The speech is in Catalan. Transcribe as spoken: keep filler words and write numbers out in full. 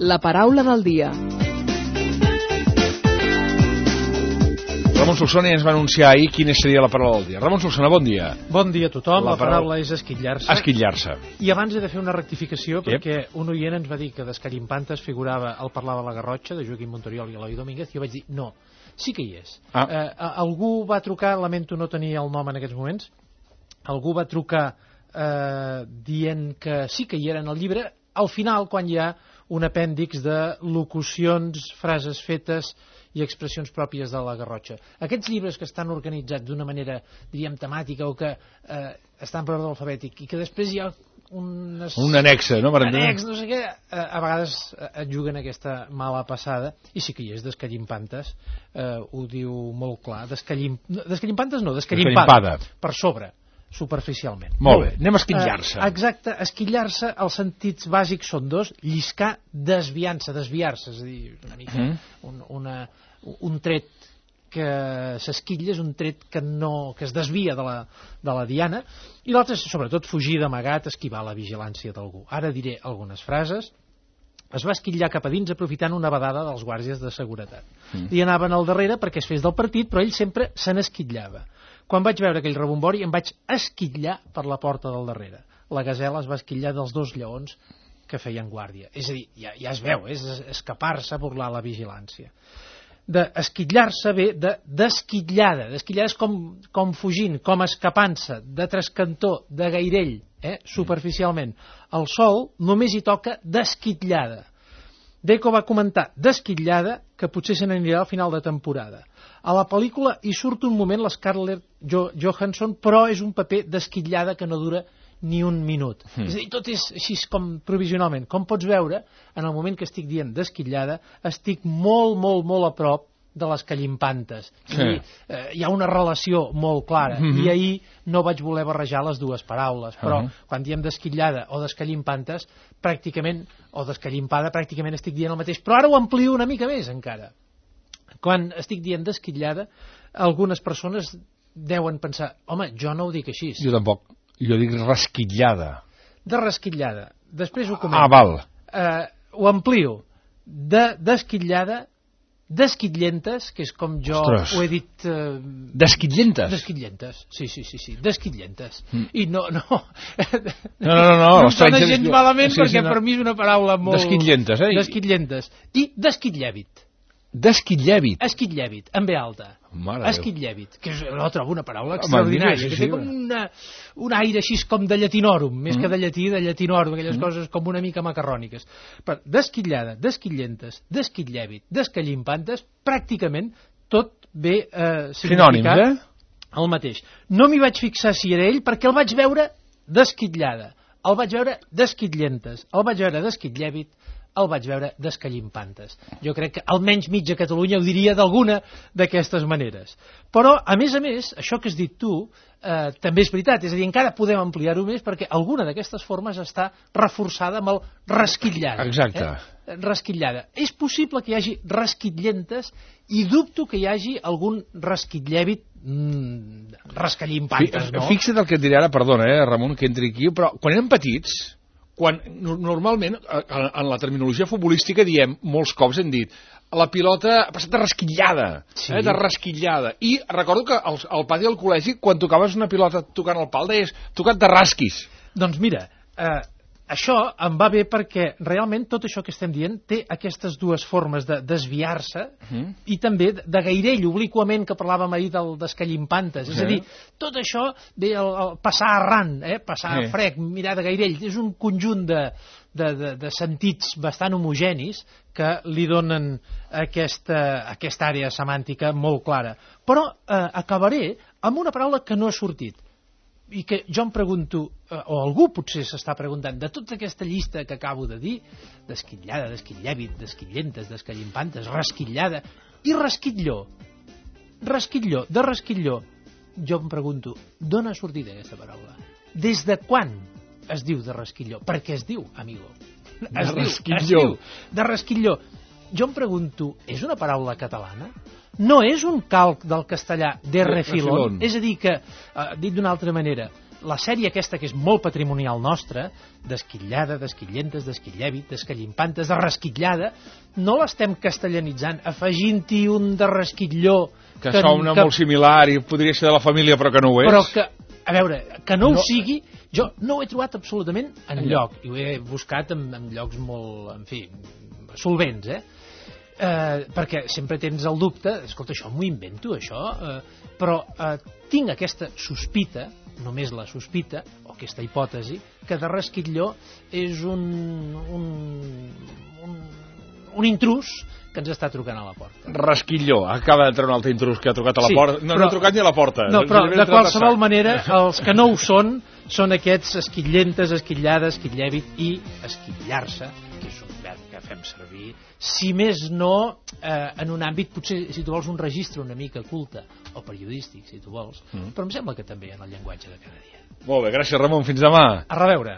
La paraula del dia. Ramon Solsona ja ens va anunciar ahir quina seria la paraula del dia. Ramon Solsona, bon dia. Bon dia a tothom. La La paraula és esquitllar-se. Esquitllar-se. I abans he de fer una rectificació, Yep. perquè un oient ens va dir que d'Escarimpantes figurava el Parlava la Garrotxa, de Joaquim Montoriol i Eloi Domínguez, i jo vaig dir, no, sí que hi és. Ah. Eh, algú va trucar, lamento no tenir el nom en aquests moments, algú va trucar eh, dient que sí que hi era en el llibre, al final, quan hi ha un apèndix de locucions, frases fetes i expressions pròpies de la Garrotxa. Aquests llibres que estan organitzats d'una manera, diríem, temàtica, o que eh, estan per ordre alfabètic, i que després hi ha unes... Un anexe, no? Per Anex, no sé què, eh, a vegades et juguen aquesta mala passada, i sí que hi és, d'Escarimpantes, eh, ho diu molt clar, d'Escalim... d'Escarimpantes no, d'Escarimpada, per sobre, superficialment. Molt bé, anem a esquitllar-se. Eh, exacte, esquitllar-se, els sentits bàsics són dos, lliscar, desviant-se, desviar-se, és a dir, una mica Mm. un, una, un tret que s'esquitlla és un tret que, no, que es desvia de la, de la diana, i l'altre és sobretot fugir d'amagat, esquivar la vigilància d'algú. Ara diré algunes frases. Es va esquitllar cap a dins aprofitant una badada dels guàrdies de seguretat. Mm. I anaven al darrere perquè es fes del partit, però ell sempre se n'esquitllava. Quan vaig veure aquell rebombori em vaig esquitllar per la porta del darrere. La gasela es va esquitllar dels dos lleons que feien guàrdia. És a dir, ja, ja es veu, és escapar-se, burlar la vigilància. D'esquitllar-se ve de desquitllada. Desquitllada és com, com fugint, com escapant-se, de trascantó, de gairell, eh? Superficialment. El sol només hi toca desquitllada. Deco va comentar desquitllada que potser se n'anirà al final de temporada. A la pel·lícula hi surt un moment l'Scarlett Johansson, però és un paper desquitllada que no dura ni un minut. Mm. És a dir, tot és així com provisionalment. Com pots veure, en el moment que estic dient desquitllada, estic molt, molt, molt a prop de les Callimpantes. Sí. Dir, eh, hi ha una relació molt clara, mm-hmm. i ahir no vaig voler barrejar les dues paraules, però uh-huh. quan diem desquitllada o descallimpantes, pràcticament, o descallimpada, pràcticament estic dient el mateix, però ara ho amplio una mica més encara. Quan estic dient desquitllada, algunes persones deuen pensar, home, jo no ho dic així. Jo tampoc. Jo dic resquitllada. De resquitllada. Després ho comento. Ah, val. Eh, ho amplio. De desquitllada, desquitllentes, que és com jo Ostres. ho he dit... Eh, desquitllentes? Desquitllentes, sí, sí, sí, sí. Desquitllentes. Mm. I no, no... No, no, no. No, no em sona gens malament, sí, perquè sí, no. Per mi és una paraula molt... Desquitllentes, eh? Desquitllentes. I desquitllèvit. Desquitllèvit. Esquitllèvit, en ve alta. Mare Esquitllèvit, que és, no trobo una paraula extraordinària, sí, sí, que té com una, un aire així com de llatinorum, mm. més que de llatí, de llatinorum, aquelles mm. coses com una mica macarròniques. Però desquitllada, desquitllentes, desquitllèvit, descallimpantes, pràcticament tot ve eh, significat eh? el mateix. No m'hi vaig fixar si era ell, perquè el vaig veure desquitllada, el vaig veure desquitllentes, el vaig veure desquitllèvit, el vaig veure descallimpantes. Jo crec que almenys mitja Catalunya ho diria d'alguna d'aquestes maneres. Però, a més a més, això que has dit tu, eh, també és veritat, és a dir, encara podem ampliar-ho més perquè alguna d'aquestes formes està reforçada amb el resquitllada. Exacte. Eh? Resquitllada. És possible que hi hagi resquitllentes i dubto que hi hagi algun resquitllèvit mmm, rescallimpantes, no? Fixa't el que et diré ara, perdona, eh, Ramon, que entri aquí, però quan érem petits, quan normalment en la terminologia futbolística diem, molts cops hem dit, la pilota ha passat de resquitllada, sí. eh, de resquitllada, i recordo que al, al pati del col·legi, quan tocaves una pilota tocant el pal, deies, tocat de rasquis. Doncs mira, eh, això em va bé perquè realment tot això que estem dient té aquestes dues formes de desviar-se mm. i també de gairell, obliquament, que parlàvem ahir del descallimpantes. Sí. És a dir, tot això ve el, el passar arran, eh? passar sí. frec, mirar de gairell. És un conjunt de, de, de, de sentits bastant homogenis que li donen aquesta, aquesta àrea semàntica molt clara. Però eh, acabaré amb una paraula que no ha sortit i que jo em pregunto, o algú potser s'està preguntant, de tota aquesta llista que acabo de dir, desquitllada, desquitllèvit, desquitllentes, descallimpantes, resquitllada i resquitlló, resquitlló, de resquitlló, jo em pregunto, d'on ha sortit aquesta paraula? Des de quan es diu de resquitlló? Per què es diu, amigo? Es de diu, resquitlló. Es diu, de resquitlló. Jo em pregunto, és una paraula catalana? No és un calc del castellà de refilón? És a dir que, eh, dit d'una altra manera, la sèrie aquesta que és molt patrimonial nostra, d'esquitllada, d'esquitllentes, d'esquitllèvit, d'escallimpantes, de resquitllada, no l'estem castellanitzant, afegint-hi un de resquitlló... Que, que sona que... molt similar i podria ser de la família, però que no ho és. Però que, a veure, que no, no... ho sigui, jo no ho he trobat absolutament enlloc, i ho he buscat en, en llocs molt, en fi, solvents, eh? Eh, perquè sempre tens el dubte, escolta, això m'ho invento, això, eh, però eh, tinc aquesta sospita, només la sospita, o aquesta hipòtesi, que de resquitlló és un, un, un, un intrus que ens està trucant a la porta. Resquitlló, acaba d'entrar un altre intrus que ha trucat a la sí, porta. No, però, no ha trucat ni a la porta. No, però de qualsevol manera, els que no ho són, són aquests esquitllentes, esquitllades, esquitllèvit i esquitllar-se, que és un verb que fem servir, si més no, eh, en un àmbit, potser, si tu vols, un registre una mica culte, o periodístic, si tu vols, mm. però em sembla que també en el llenguatge de cada dia. Molt bé, gràcies, Ramon. Fins demà. A reveure.